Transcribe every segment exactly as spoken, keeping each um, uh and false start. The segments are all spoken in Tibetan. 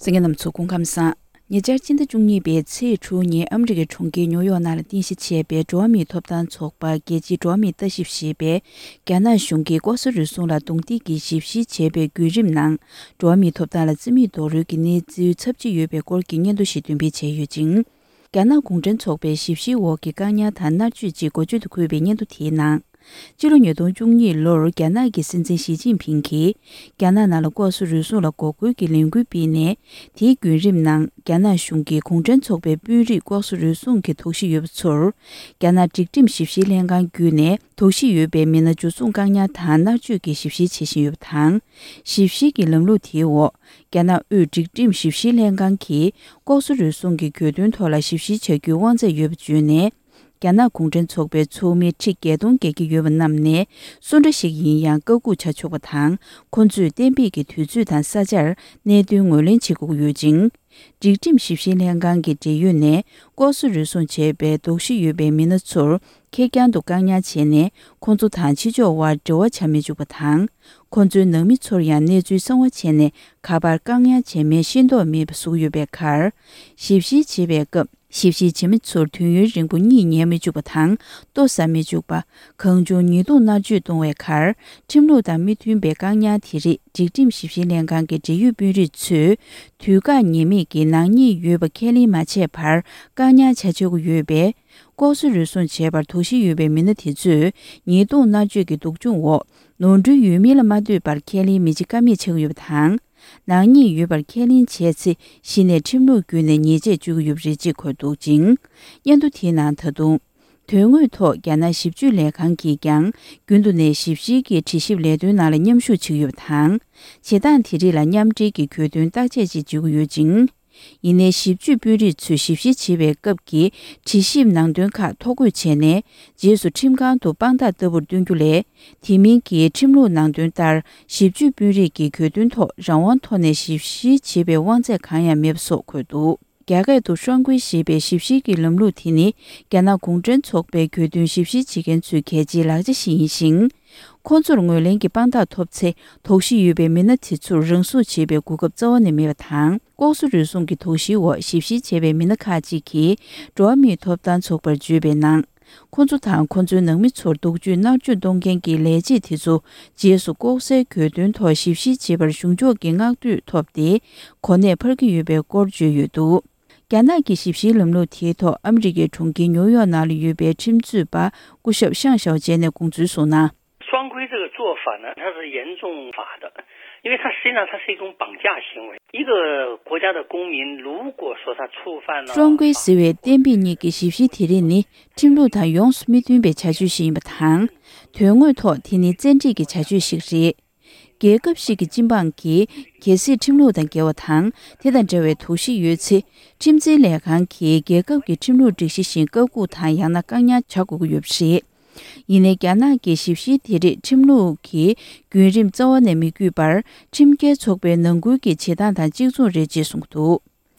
གསན་མཁན་རྣམ་ཚོ་སྐུ་ཁམས་བཟང་། ཉེ་ཆར་ཕྱི་ཟླ་བཅུ་གཉིས་པའི་ཚེས་དྲུག་ཉིན་ཨ་མི་རི་ཀའི་གྲོང་ཁྱེར་ཉོའུ་ཡོག་ནང་ལ་རྟེན་གཞི་བྱས་པའི་འགྲོ་བ་མིའི་ཐོབ་ཐང་ཚོགས་པ་རྒྱལ་སྤྱིའི་འགྲོ་བ་མིའི་ལྟ་ཞིབ་ཞེས་པས། རྒྱ་ནག་གཞུང་གིས་ལྐོག་ཟ་རུལ་སུངས་ལ་རྡུང་རྡེག་གིས་ཞིབ་བཤེར་བྱས་པའི་བརྒྱུད་རིམ་ནང་། འགྲོ་བ་མིའི་ཐོབ་ཐང་ལ་བརྩི་མེད་རྡོག་རོལ་གྱི་གནས་ཚུལ་ཚབས་ཆེ་ཡོད་པའི་སྐོར་གྱི་སྙན་ཐོ་ཞིག་འདོན་སྤེལ་བྱས་ཡོད་ཅིང་། རྒྱ་ནག་གུང་ཁྲན་ཚོགས་པའི་ཞིབ་བཤེར་འོག་གི་བཀག་ཉར་དང་མནར་གཅོད་ཅེས་འགོ་བརྗོད་དུ་འཁོད་པའི་སྙན་ཐོ་དེའི་ནང་། ཕྱི་ལོ་ཉིས་སྟོང་བཅུ་གཉིས་ལོར་རྒྱ་ནག་གི་སྲིད་འཛིན་ཞི་ཅིན་ཕིང་གིས། རྒྱ་ནག་ནང་ལ་ལྐོག་ཟ་རུལ་སུངས་ལ་འགོག་རྒོལ་གྱི་ལས་འགུལ་སྤེལ་ནས། དེའི་བརྒྱུད་རིམ་ནང་། རྒྱ་ནག་གཞུང་གིས་གུང་ཁྲན་ཚོགས་པའི་དཔོན་རིགས་ལྐོག་ཟ་རུལ་སུངས་ཀྱི་དོགས་གཞི་ཡོད་པ་ཚོར། རྒྱ་ནག་སྒྲིག་ཁྲིམས་ཞིབ་བཤེར་ལྷན་ཁང་བརྒྱུད་ནས། དོགས་གཞི་ཡོད་པའི་མི་སྣ་འཇུ་བཟུང་བཀག་ཉར་དང་མནར་གཅོད་ཀྱི་ཞིབ་བཤེར་བྱེད་བཞིན་ཡོད་པ་དང་། ཞིབ་བཤེར་གྱི་ལམ་ལུགས་དེའི་འོག་རྒྱ་ནག་དབུས་སྒྲིག་ཁྲིམས་ཞིབ་བཤེར་ལྷན་ཁང་གིས། ལྐོག་ཟ་རུལ་སུངས་ཀྱི་གྱོད་དོན་ཐོག་ལ་ཞིབ་བཤེར་བྱ་རྒྱུའི་དབང་ཚད་ཡོད་པ་བརྗོད་ནས། རྒྱ་ནག་གུང་ཁྲན་ཚོགས་པའི་ཚོགས་མི་ཁྲི་བརྒྱད་སྟོང་བརྒལ་གྱི་ཡོད་པ་རྣམས་ནས། སུ་འདྲ་ཞིག་ཡིན་ཡང་བཀའ་འགུག་བྱ་ཆོག་པ་དང་། ཁོ་ཚོས་གཏན་འབེབས་ཀྱི་དུས་ཚོད་དང་ས་ཆར་གནད་དོན་ངོས་ལེན་བྱེད་དགོས་ཀྱི་ཡོད་ཅིང་། སྒྲིག་ཁྲིམས་ཞིབ་བཤེར་ལྷན་ཁང་གི་འབྲེལ་ཡོད་ནས། ལྐོག་ཟ་རུལ་སུངས་བྱས་པའི་དོགས་གཞི་ཡོད་པའི་མི་སྣ་ཚོར། ཁེར་རྐྱང་དུ་བཀག་ཉར་བྱས་ནས། ཁོ་ཚོ་དང་ཕྱི་ཕྱོགས་དབར་འབྲེལ་བ་བྱ་མི་འཇུག་པ་དང་། ཁོ་ཚོའི་ནང་མི་ཚོར་ཡང་གནས་ཚུལ་གསང་བ་བྱས་ནས། ག་པར་བཀག་ཉར་བྱས་མིན་ཤེས་རྟོགས་མེད་པ་བཟོ་གི་ཡོད་པའི་ཁར། ཞིབ་བཤེར་བྱེད་པའི་སྐབས། ཞིབ་བཤེར་བྱེད་མི་ཚོར་དུས་ཡུན་རིང་པོ་གཉིད་ཉལ་མི་འཇུག་པ་དང་། ལྟོ་ཟ་མི་འཇུག་པ། གང་བྱུང་ཉེས་རྡུང་མནར་གཅོད་གཏོང་བའི་ཁར། ཁྲིམས་ལུགས་དང་མི་མཐུན་པའི་བཀག་ཉར་དེ་རིགས་སྒྲིག་ཁྲིམས་ཞིབ་བཤེར་ལྷན་ཁང་གི་འབྲེལ་ཡོད་དཔོན་རིགས་ཚོས། དུས་བཀག་ངེས་མེད་ཀྱི་ནག་ཉེས་ཡོད་པ་ཁས་ལེན་མ་བྱས་བར། བཀག་ཉར་བྱ་ཆོག་གི་ཡོད་པས། ལྐོག་ཟ་རུལ་སུངས་བྱས་པར་དོགས་གཞི་ཡོད་པའི་མི་སྣ་དེ་ཚོས། ཉེས་རྡུང་མནར་གཅོད་ཀྱི་སྡུག་སྦྱོང་འོག་ནོར་འཁྲུལ་ཡོད་མིན་ལ་མ་ལྟོས་པར་ཁས་ལེན་མི་བྱེད་ཀ་མེད་ཆགས་ཀྱི་ཡོད་པ་དང་། ནག་ཉེས་ཡོད་པར་ཁས་ལེན་བྱས་ཚེ། གཞི་ནས་ཁྲིམས་ལུགས་བརྒྱུད་ནས་ཉེས་ཆད་གཅོད་ཀྱི་ཡོད་པ་རེད་ཅེས་འཁོད་འདུག་ཅིང་། སྙན་ཐོ་དེའི་ནང་ད་དུང་། དོན་དངོས་ཐོག་རྒྱ་ནག་ཞིབ་དཔྱོད་ལས་ཁང་གིས་ཀྱང་། རྒྱུན་དུ་ནས་ཞིབ་བཤེར་གྱི་དྲི་ཞིབ་ལས་དོན་ནང་ལ་མཉམ་ཞུགས་བྱེད་ཀྱི་ཡོད་པ་དང་། བྱེད་སྟངས་དེ་རིགས་ལ་མཉམ་འབྲེལ་གྱི་གྱོད་དོན་བརྟག་དཔྱད་ཅིག་བྱེད་ཀྱི་ཡོད་ཅིང་། ཡིན་ནའི་ཞིབ་དཔྱོད་དཔོན་རིགས་ཚོས་ཞིབ་བཤེར་བྱེད་པའི་སྐབས་ཀྱི་དྲི་ཞིབ་ནང་དོན་ཁག་ཐོ་འགོད་བྱས་ནས། རྗེས་སུ་ཁྲིམས་ཁང་དུ་དཔང་རྟགས་ལྟ་བུར་སྟོན་རྒྱུ་ལས། དེ་མིན་གྱི་ཁྲིམས་ལུགས་ནང་དོན་ལྟར། ཞིབ་དཔྱོད་དཔོན་རིགས་ཀྱི་གྱོད་དོན་ཐོག་རང་དབང་ཐོག་ནས་ཞིབ་བཤེར་བྱེད་པའི་དབང་ཚད་གང་ཡང་མེད་པ་སོགས་འཁོད་འདུག་རྒྱ་སྐད་དུ་ཧྲང་ཀུའེ་ཞེས་པའི་ཞིབ་བཤེར་གྱི་ལམ་ལུགས་དེ་ནི། རྒྱ་ནག་གུང་ཁྲན་ཚོགས་པའི་གྱོད་དོན་ཞིབ་བཤེར་བྱེད་མཁན་ཚོའི་གལ་ཆེའི་ལག་ཆ་ཞིག་ཡིན་ཞིང་། ཁོང་ཚོར་ངོས་ལེན་གྱི་དཔང་རྟགས་ཐོབ་ཚེ། དོགས་གཞི་ཡོད་པའི་མི་སྣ་དེ་ཚོར་རང་སྲུང་བྱེད་པའི་གོ་སྐབས་རྩ་བ་ནས་མེད་པ་དང་། ལྐོག་ཟ་རུལ་སུངས་ཀྱི་དོགས་གཞིའི་འོག་ཞིབ་བཤེར་བྱས་པའི་མི་སྣ་ཁག་ཅིག་གིས། འགྲོ་བ་མིའི་ཐོབ་ཐང་ཚོགས་པར་བརྗོད་པའི་ནང་། ཁོ་ཚོ་དང་ཁོ་ཚོའི་ནང་མི་ཚོར་སྡུག་སྦྱོང་མནར་གཅོད་གཏོང་མཁན་གྱི་ལས་བྱེད་དེ་ཚོ། རྗེས་སུ་ལྐོག་ཟའི་གྱོད་དོན་ཐོག་ཞིབ་བཤེར་བྱེད་པར་གཞུང་ཕྱོགས་ཀྱི་བསྔགས་བསྟོད་ཐོབ་སྟེ། གོ་གནས་འཕར་གྱི་ཡོད་པའི་སྐོར་བརྗོད་ཡོད་འདུག་རྒྱ་ནག་གི་ཞིབ་བཤེར་ལམ་ལུགས་དེའི་ཐོག་ཨ་མི་རི་ཀའི་གྲོང་ཁྱེར་ཉོའུ་ཡོག་ནང་ལ་ཡོད་པའི་ཁྲིམས་རྩོད་པ་སྐུ་ཞབས་ཤང་ཞའོ་ཅན་ནས་དགོངས་ཚུལ་གསུངས་ན། 双规这个做法呢，它是严重法的，因为它实际上它是一种绑架行为。一个国家的公民如果说他触犯了双规ཟེར་བའི་གཏན་འབེབས་གཉིས་ཀྱི་ཞིབ་བཤེར་དེ་རིགས་ནི་ཁྲིམས་ལུགས་དང་ཡོངས་སུ་མི་མཐུན་པའི་བྱ་སྤྱོད་ཞིག་ཡིན་པ་དང་། དོན་དངོས་ཐོག་དེ་ནི་བཙན་ཁྲིད་ཀྱི་བྱ་སྤྱོད་ཞིག་རེད། རྒྱལ་ཁབ་ཞིག་གི་སྤྱི་འབངས་ཀྱིས་གལ་སྲིད་ཁྲིམས་ལུགས་དང་འགལ་བ་དང་དེ་དང་འབྲེལ་བའི་དོགས་གཞི་ཡོད་ཚེ། ཁྲིམས་འཛིན་ལས་ཁང་གིས་རྒྱལ་ཁབ་ཀྱི་ཁྲིམས་ལུགས་སྒྲིག་གཞི་བཞིན་བཀའ་འགུག་དང་ཡང་ན་བཀག་ཉར་བྱ་དགོས་ཀྱི་ཡོད་པ་རེད། ཡིན་ནའི་རྒྱ་ནག་གི་ཞིབ་བཤེར་དེ་རིགས་ཁྲིམས་ལུགས་ཀྱི་བརྒྱུད་རིམ་རྩ་བ་ནས་མི་བརྒྱུད་པར་ཁྲིམས་འགལ་ཚོགས་པའི་ནང་ཁུལ་གྱི་བྱེད་སྟངས་དང་གཅིག་མཚུངས་རེད་ཅེས་གསུངས་འདུག་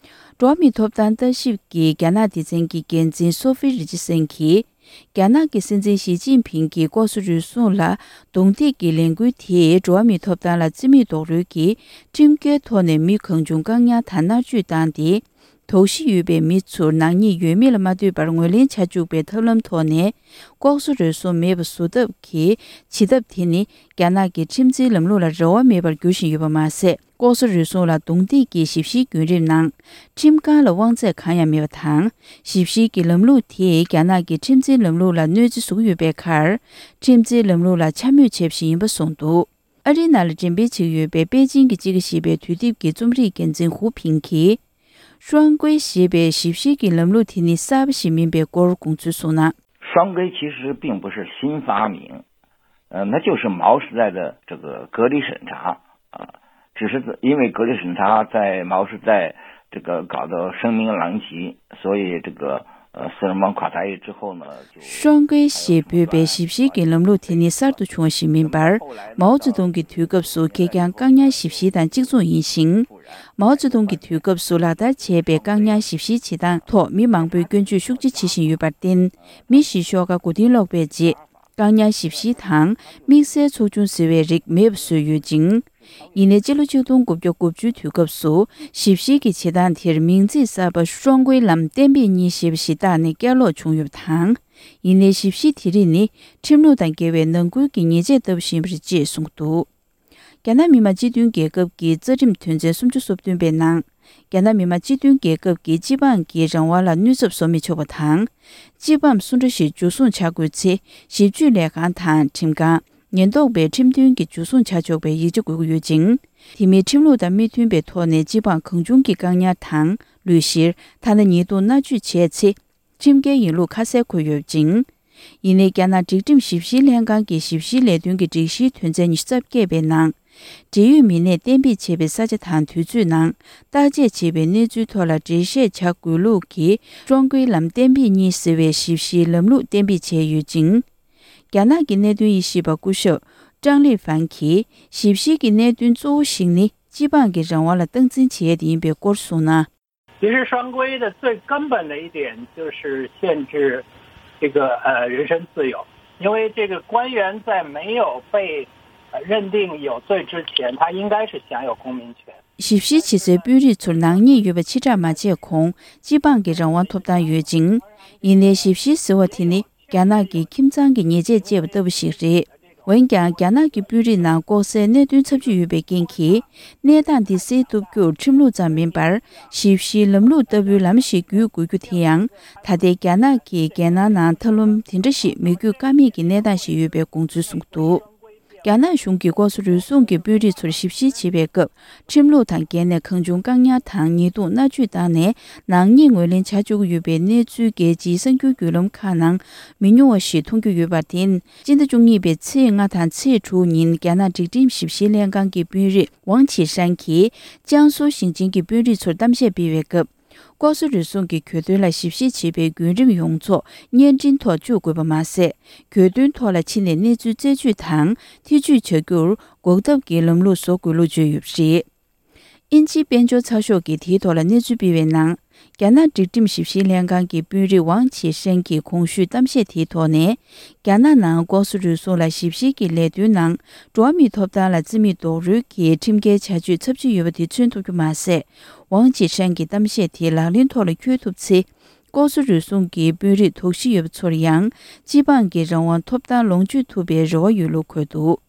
འགྲོ་བ་མིའི་ཐོབ་ཐང་ལྟ་ཞིབ་ཀྱི་རྒྱ་ནག་སྡེ་ཚན་གྱི་འགན་འཛིན་སོ་ཧྥི་རི་ཅི་སན་གྱིས། རྒྱ་ནག་གི་སྲིད་འཛིན་ཞི་ཅིན་ཕིང་གིས་ལྐོག་ཟ་རུལ་སུངས་ལ་རྡུང་རྡེག་གི་ལས་འགུལ་དེས་འགྲོ་བ་མིའི་ཐོབ་ཐང་ལ་བརྩི་མེད་རྡོག་རོལ་གྱིས་ཁྲིམས་འགལ་ཐོག་ནས་མི་གང་བྱུང་བཀག་ཉར་དང་མནར་གཅོད་བཏང་སྟེ། དོགས་གཞི་ཡོད་པའི་མི་ཚོར་ནག་ཉེས་ཡོད་མེད་ལ་མ་ལྟོས་པར་ངོས་ལེན་བྱ་བཅུག་པའི་ཐབས་ལམ་ཐོག་ནས། ལྐོག་ཟ་རུལ་སུངས་མེད་པ་བཟོ་ཐབས་ཀྱི་བྱེད་ཐབས་དེ་ནི། རྒྱ་ནག་གི་ཁྲིམས་འཛིན་ལམ་ལུགས་ལ་རེ་བ་མེད་པར་འགྱུར་བཞིན་ཡོད་པ་མ་ཟད། ལྐོག་ཟ་རུལ་སུངས་ལ་རྡུང་རྡེག་གི་ཞིབ་བཤེར་བརྒྱུད་རིམ་ནང་། ཁྲིམས་ཁང་ལ་དབང་ཚད་གང་ཡང་མེད་པ་དང་། ཞིབ་བཤེར་གྱི་ལམ་ལུགས་དེས་རྒྱ་ནག་གི་ཁྲིམས་འཛིན་ལམ་ལུགས་ལ་གནོད་འཚེ་བཟོ་གི་ཡོད་པའི་ཁར། ཁྲིམས་འཛིན་ལམ་ལུགས་ལ་འཕྱ་སྨོད་བྱས་པ་ཞིག་ཡིན་པ་གསུངས་འདུག་ཨ་རིའི་ནང་ལ་འགྲེམས་སྤེལ་བྱེད་ཀྱི་ཡོད་པའི་པེ་ཅིང་གི་དཔྱིད་ཀ་ཞེས་པའི་དུས་དེབ་ཀྱི་རྩོམ་སྒྲིག་འགན་འཛིན་ཧུའུ་ཕིང་གིས། ཧྲུའང་ཀུའེ་ཞེས་པའི་ཞིབ་བཤེར་གྱི་ལམ་ལུགས་དེ་ནི་གསར་པ་ཞིག་མིན་པའི་སྐོར་དགོངས་ཚུལ་གསུངས་ན། 双规其实并不是新发明，呃，那就是毛时代的这个隔离审查啊，只是因为隔离审查在毛时代这个搞得声名狼藉，所以这个呃四人帮垮台之后呢，就 ཧྲུའང་ཀུའེ་ཞེས་འབོད་པའི་ཞིབ་བཤེར་གྱི་ལམ་ལུགས་དེ་ནི་གསར་དུ་བྱུང་བ་ཞིག་མིན་པར། མའོ་ཙེ་ཏུང་གི་དུས་སྐབས་སུ་ཁེར་རྐྱང་བཀག་ཉར་ཞིབ་བཤེར་དང་གཅིག་མཚུངས་ཡིན་ཞིང་། མའོ་ཙེ་ཏུང་གི་དུས་སྐབས་སུ་ལག་བསྟར་བྱས་པའི་བཀག་ཉར་ཞིབ་བཤེར་བྱེད་སྟངས་ཐོག་མི་མང་པོས་སྐྱོན་བརྗོད་ཤུགས་ཆེ་བྱེད་བཞིན་ཡོད་པར་བརྟེན། མི་བཞི་ཤོག་ཁག་མགོ་རྟིང་སློག་པའི་རྗེས། བཀག་ཉར་ཞིབ་བཤེར་དང་དམིགས་བསལ་ཚོགས་ཆུང་ཟེར་བའི་རིགས་མེད་པ་བཟོས་ཡོད་ཅིང་། ཡིན་ནའི་སྤྱི་ལོ་ཆིག་སྟོང་དགུ་བརྒྱ་དགུ་བཅུའི་དུས་སྐབས་སུ་ཞིབ་བཤེར་གྱི་བྱེད་སྟངས་དེར་མིང་ཚིག་གསར་པ་ཧྲོང་ཀུའི་ལམ་གཏན་འབེབས་གཉིས་ཞེས་པ་ཞིག་བཏགས་ནས་བསྐྱར་ལོག་བྱུང་ཡོད་པ་དང་། ཡིན་ནའི་ཞིབ་བཤེར་དེ་རིགས་ནི་ཁྲིམས་ལུགས་དང་འགལ་བའི་ནང་ཁུལ་གྱི་ཉེས་ཆད་ལྟ་བུ་ཞིག་ཡིན་པ་རེད་ཅེས་གསུངས་འདུག་རྒྱ་ནག་མི་དམངས་སྤྱི་མཐུན་རྒྱལ་ཁབ་ཀྱི་རྩ་ཁྲིམས་དོན་ཚན་སུམ་ཅུ་སོ་བདུན་པའི་ནང་། རྒྱ་ནག་མི་དམངས་སྤྱི་མཐུན་རྒྱལ་ཁབ་ཀྱི་སྤྱི་འབངས་ཀྱི་རང་དབང་ལ་གནོད་ཚབས་བཟོ་མི་ཆོག་པ་དང་། སྤྱི་འབངས་སུ་འདྲ་ཞིག་འཇུ་བཟུང་བྱ་དགོས་ཚེ། ཞིབ་དཔྱོད་ལས་ཁང་དང་ཁྲིམས་ཁང་། ཉེན་རྟོག་པས་ཁྲིམས་མཐུན་གྱི་འཇུ་བཟུང་བྱ་ཆོག་པའི་ཡིག་ཆ་དགོས་ཀྱི་ཡོད་ཅིང་། དེ་མིན་ཁྲིམས་ལུགས་དང་མི་མཐུན་པའི་ཐོག་ནས་སྤྱི་འབངས་གང་བྱུང་གིས་བཀག་ཉར་དང་ལུས་བཤེར། ཐ་ན་ཉེས་རྡུང་མནར་གཅོད་བྱས་ཚེ། ཁྲིམས་འགལ་ཡིན་ལུགས་ཁ་གསལ་འཁོད་ཡོད་ཅིང་། ཡིན་ནའི་རྒྱ་ནག་སྒྲིག་ཁྲིམས་ཞིབ་བཤེར་ལྷན་ཁང་གི་ཞིབ་བཤེར་ལས་དོན་གྱི་སྒྲིག་གཞིའི་དོན་ཚན་ཉི་ཤུ་རྩ་བརྒྱད་པའི་ནང་། འབྲེལ་ཡོད་མི་སྣས་གཏན་འབེབས་བྱས་པའི་ས་ཆ་དང་དུས་ཚོད་ནང་བརྟག་དཔྱད་བྱས་པའི་གནས་ཚུལ་ཐོག་ལ་འགྲེལ་བཤད་བྱ་དགོས་ལུགས་ཀྱི་ཀྲོང་ཀུའི་ལམ་གཏན་འབེབས་གཉིས་ཟེར་བའི་ཞིབ་བཤེར་ལམ་ལུགས་གཏན་འབེབས་བྱས་ཡོད་ཅིང་། རྒྱ་ནག་གི་གནད་དོན་དབྱེ་ཞིབ་པ་སྐུ་ཞབས་ཀྲང་ལི་ཧྥན་གྱིས་ཞིབ་བཤེར་གྱི་གནད་དོན་གཙོ་བོ་ཞིག་ནི་སྤྱི་འབངས་ཀྱི་རང་དབང་ལ་སྟངས་འཛིན་བྱེད་ཡས་དེ་ཡིན་པའི་སྐོར་གསུངས་ན། 其实双规的最根本的一点就是限制这个呃人身自由，因为这个官员在没有被呃认定有罪之前，他应该是享有公民权。 ཞིབ་བཤེར་བྱེད་སའི་དཔོན་རིགས་ཚོར་ནག་ཉེས་ཡོད་པ་ཕྱིར་བསྒྲགས་མ་བྱས་གོང་སྤྱི་འབངས་ཀྱི་རང་དབང་ཐོབ་ཐང་ཡོད་ཅིང་། ཡིན་ནའི་ཞིབ་བཤེར་ཟེར་བ་དེ་ནི་རྒྱ་ནག་གི་ཁྱིམ་ཚང་གི་ཉེས་ཆད་བཅད་པ་ལྟ་བུ་ཞིག་རེད། འོན་ཀྱང་རྒྱ་ནག་གི་དཔོན་རིགས་ནང་ལྐོག་ཟའི་གནད་དོན་ཚབས་ཆེ་ཡོད་པའི་རྐྱེན་གྱིས། གནས་སྟངས་འདི་སེལ་ཐུབ་རྒྱུར་ཁྲིམས་ལུགས་ཙམ་མིན་པར། ཞིབ་བཤེར་ལམ་ལུགས་ལྟ་བུའི་ལམ་ཞིག་བརྒྱུད་དགོས་རྒྱུ་དེ་ཡང་། ད་ལྟའི་རྒྱ་ནག་གི་རྒྱལ་ནང་ནང་ཐབས་ལམ་དེ་འདྲ་ཞིག་མི་བརྒྱུད་ཀ་མེད་ཀྱི་གནས་སྟངས་ཤིག་ཡོད་པའི་དགོངས་ཚུལ་གསུངས་འདུག་རྒྱ་ནག་གཞུང་གིས་ལྐོག་ཟ་རུལ་སུངས་ཀྱི་དཔོན་རིགས་ཚོར་ཞིབ་བཤེར་བྱེད་པའི་སྐབས། ཁྲིམས་ལུགས་དང་འགལ་ནས་གང་བྱུང་བཀག་ཉར་དང་ཉེས་རྡུང་མནར་གཅོད་བཏང་ནས་ནག་ཉེས་ངོས་ལེན་བྱ་བཅུག་གི་ཡོད་པའི་གནས་ཚུལ་རྒྱལ་སྤྱིའི་གསར་འགྱུར་བརྒྱུད་ལམ་ཁག་ནང་མི་ཉུང་བ་ཞིག་མཐོང་རྒྱུ་ཡོད་པར་བརྟེན། སྤྱི་ཟླ་བཅུ་གཉིས་པའི་ཚེས་ལྔ་དང་ཚེས་དྲུག་ཉིན་རྒྱ་ནག་སྒྲིག་ཁྲིམས་ཞིབ་བཤེར་ལྷན་ཁང་གི་དཔོན་རིགས་ཝང་ཆི་ཧྲན་གྱིས་ཅང་སུའུ་ཞིང་ཆེན་གྱི་དཔོན་རིགས་ཚོར་གཏམ་བཤད་སྤེལ་བའི་སྐབས། ལྐོག་ཟ་རུལ་སུངས་ཀྱི་གྱོད་དོན་ལ་ཞིབ་བཤེར་བྱེད་པའི་བརྒྱུད་རིམ་ཡོངས་རྫོགས་བརྙན་འཕྲིན་ཐོག་བཅུག་དགོས་པ་མ་ཟད། གྱོད་དོན་ཐོག་ལ་ཕྱི་ནས་གནས་ཚུལ་རྩད་གཅོད་དང་ཐེ་བྱུས་བྱ་རྒྱུར་འགོག་ཐབས་ཀྱི་ལམ་ལུགས་བཟོ་དགོས་ལུགས་བརྗོད་ཡོད་པ་རེད། དབྱིན་ཇིའི་དཔལ་འབྱོར་ཚགས་ཤོག་གིས་དེའི་ཐོག་ལ་གནས་ཚུལ་སྤེལ་བའི་ནང་། རྒྱ་ནག་སྒྲིག་ཁྲིམས་ཞིབ་བཤེར་ལྷན་ཁང་གི་དཔོན་རིགས་ཝང་ཆི་ཧྲན་གྱི་གོང་ཞུས་གཏམ་བཤད་དེའི་ཐོག་ནས། རྒྱ་ནག་ནང་ལྐོག་ཟ་རུལ་སུངས་ལ་ཞིབ་བཤེར་གྱི་ལས་དོན་ནང་འགྲོ་བ་མིའི་ཐོབ་ཐང་ལ་བརྩི་མེད་རྡོག་རོལ་གྱི་ཁྲིམས་འགལ་བྱ་སྤྱོད་ཚབས་ཆེ་ཡོད་པ་དེ་མཚོན་ཐུབ་རྒྱུ་མ་ཟད། ཝང་ཆི་ཧྲན་གྱི་གཏམ་བཤད་དེ་ལག་ལེན་ཐོག་ལ་འཁྱོལ་ཐུབ་ཚེ། ལྐོག་ཟ་རུལ་སུངས་ཀྱི་དཔོན་རིགས་དོགས་གཞི་ཡོད་པ་ཚོར་ཡང་སྤྱི་འབངས་ཀྱི་རང་དབང་ཐོབ་ཐང་ལོངས་སྤྱོད་ཐུབ་པའི་རེ་བ་ཡོད་ལུགས་འཁོད་འདུག་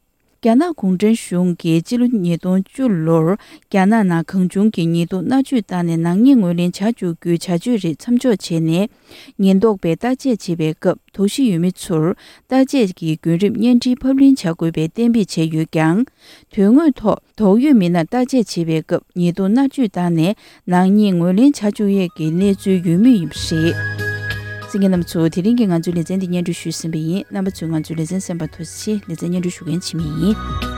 རྒྱ་ནག་གུང་ཁྲན་གཞུང་གིས་སྤྱི་ལོ་ཉིས་སྟོང་བཅུ་ལོར་རྒྱ་ནག་ནང་གང་བྱུང་གི་ཉེས་རྡུང་མནར་གཅོད་བཏང་ནས་ནག་ཉེས་ངོས་ལེན་བྱ་བཅུག་རྒྱུའི་བྱ་སྤྱོད་རིགས་མཚམས་འཇོག་བྱས་ནས། ཉེན་རྟོག་པས་བརྟག་དཔྱད་བྱེད་པའི་སྐབས་དོགས་གཞི་ཡོད་མི་ཚོར་བརྟག་དཔྱད་ཀྱི་བརྒྱུད་རིམ་བརྙན་འཕྲིན་ཕབ་ལེན་བྱ་དགོས་པའི་གཏན་འབེབས་བྱས་ཡོད་ཀྱང་། དོན་དངོས་ཐོག་དོགས་ཡོད་མི་སྣར་བརྟག་དཔྱད་བྱེད་པའི་སྐབས་ཉེས་རྡུང་མནར་གཅོད་བཏང་ནས་ནག་ཉེས་ངོས་ལེན་བྱ་བཅུག་ཡས་ཀྱི་གནས་ཚུལ་ཡོད་མུས་ཡིན་པ་རེད། གསན་མཁན་རྣམ་པ་ཚོ། དེ་རིང་གི་ང་ཚོའི་ལེ་ཚན་འདི་སྙན་སྒྲོན་ཞུས་ཟིན་པ་ཡིན། རྣམ་པ་ཚོས་ང་ཚོའི་ལེ་ཚན་གསན་པར་ཐུགས་རྗེ་ཆེ། ལེ་ཚན་སྙན་སྒྲོན་ཞུ་མཁན་འཆི་མེད་ཡིན།